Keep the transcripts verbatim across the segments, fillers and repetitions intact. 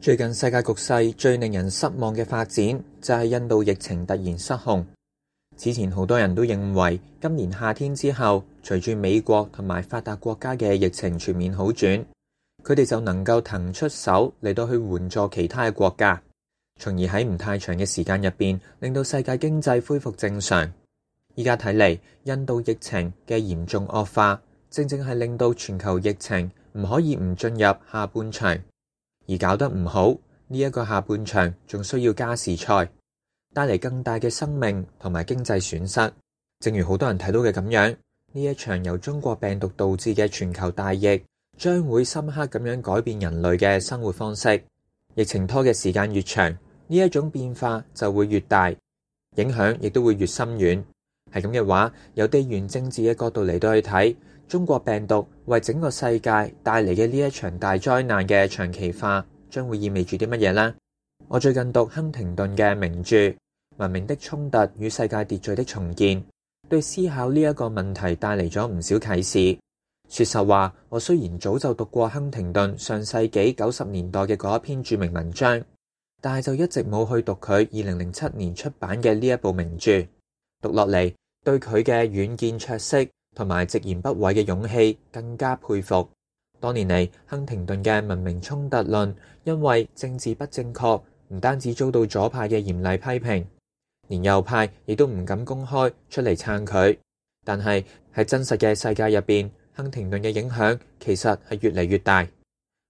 最近世界局勢最令人失望嘅發展就係印度疫情突然失控。此前好多人都認為今年夏天之後，隨住美國同埋發達國家嘅疫情全面好轉，佢哋就能夠騰出手嚟到去援助其他嘅國家，從而喺唔太長嘅時間入邊令到世界經濟恢復正常。依家睇嚟，印度疫情嘅嚴重惡化，正正係令到全球疫情唔可以唔進入下半場。而搞得唔好，呢一個下半場仲需要加時賽，帶嚟更大嘅生命同埋經濟損失。正如好多人睇到嘅咁樣，呢一場由中國病毒導致嘅全球大疫，將會深刻咁樣改變人類嘅生活方式。疫情拖嘅時間越長，呢一種變化就會越大，影響亦都會越深遠。係咁嘅話，由地緣政治嘅角度嚟到去睇，中國病毒為整個世界帶嚟嘅呢一場大災難嘅長期化，將會意味住啲乜嘢呢？我最近讀亨廷頓嘅名著《文明的衝突與世界秩序的重建》，對思考呢一個問題帶嚟咗唔少啟示。說實話，我雖然早就讀過亨廷頓上世紀九十年代嘅嗰一篇著名文章，但係就一直冇去讀佢二零零七年出版嘅呢一部名著。讀落嚟，對佢嘅遠見卓識同埋直言不諱嘅勇氣更加佩服。多年嚟，亨廷頓嘅文明衝突論因為政治不正確，唔單止遭到左派嘅嚴厲批評，連右派亦都唔敢公開出嚟撐佢。但係喺真實嘅世界入邊，亨廷頓嘅影響其實係越嚟越大。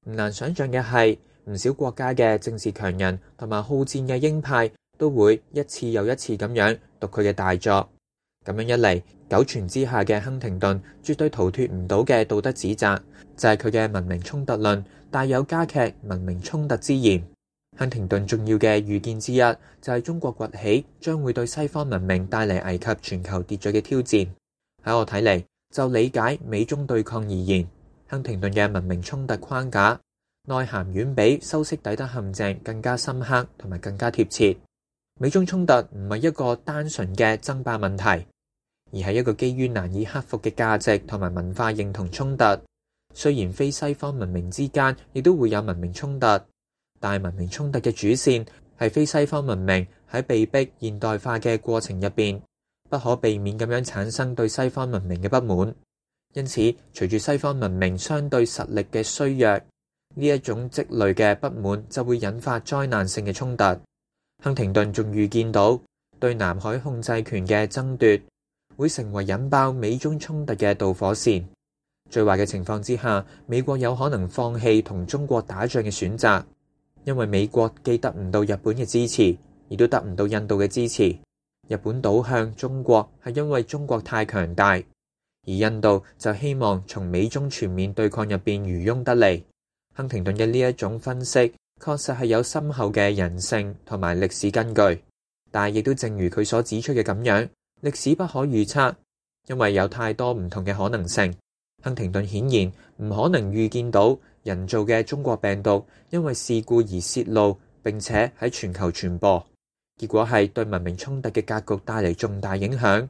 唔難想象嘅係，唔少國家嘅政治強人同埋好戰嘅鷹派都會一次又一次咁樣讀佢嘅大作。咁樣一嚟，久傳之下嘅亨廷頓絕對逃脫唔到嘅道德指責，就係佢嘅文明衝突論帶有加劇文明衝突之嫌。亨廷頓重要嘅預見之一就係中國崛起將會對西方文明帶嚟危及全球秩序嘅挑戰。喺我睇嚟，就理解美中對抗而言，亨廷頓嘅文明衝突框架內涵遠比修昔底德陷阱更加深刻同埋更加貼切。美中衝突唔係一個單純嘅爭霸問題，而係一個基於難以克服嘅價值同埋文化認同衝突。雖然非西方文明之間亦都會有文明衝突，但係文明衝突嘅主線係非西方文明喺被逼現代化嘅過程入邊，不可避免咁樣產生對西方文明嘅不滿。因此，隨住西方文明相對實力嘅衰弱，呢一種積累嘅不滿就會引發災難性嘅衝突。亨廷頓仲預見到對南海控制權嘅爭奪會成為引爆美中衝突嘅導火線。最壞嘅情況之下，美國有可能放棄同中國打仗嘅選擇，因為美國既得唔到日本嘅支持，亦都得唔到印度嘅支持。日本倒向中國係因為中國太強大，而印度就希望從美中全面對抗入邊漁翁得利。亨廷頓嘅呢一種分析確實係有深厚嘅人性同埋歷史根據，但係亦都正如佢所指出嘅咁樣，歷史不可預測，因為有太多唔同嘅可能性。亨廷頓顯然唔可能預見到人造嘅中國病毒因為事故而泄露，並且喺全球傳播，結果係對文明衝突嘅格局帶嚟重大影響。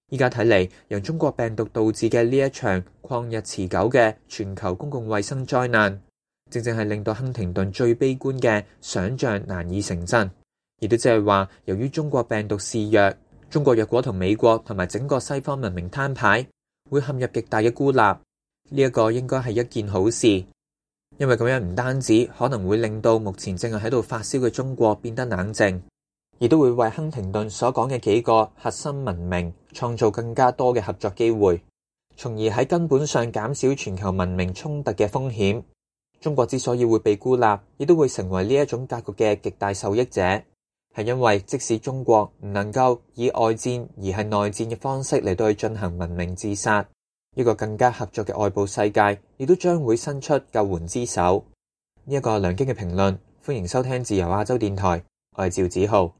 依家睇嚟，由中國病毒導致嘅呢一場曠日持久嘅全球公共衛生災難，正正係令到亨廷頓最悲觀嘅想像難以成真。亦都即係話，由於中國病毒肆虐，中國若果同美國同埋整個西方文明攤牌，會陷入極大嘅孤立。呢一個應該係一件好事，因為咁樣唔單止可能會令到目前正係喺度發燒嘅中國變得冷靜，亦都會為亨廷頓所講嘅幾個核心文明創造更加多嘅合作機會，從而喺根本上減少全球文明衝突嘅風險。中國之所以會被孤立，亦都會成為呢一種格局嘅極大受益者，係因為即使中國唔能夠以外戰而係內戰嘅方式嚟到去進行文明自殺，一個更加合作嘅外部世界亦都將會伸出救援之手。呢一個梁京嘅評論，歡迎收聽自由亞洲電台，我係趙子浩。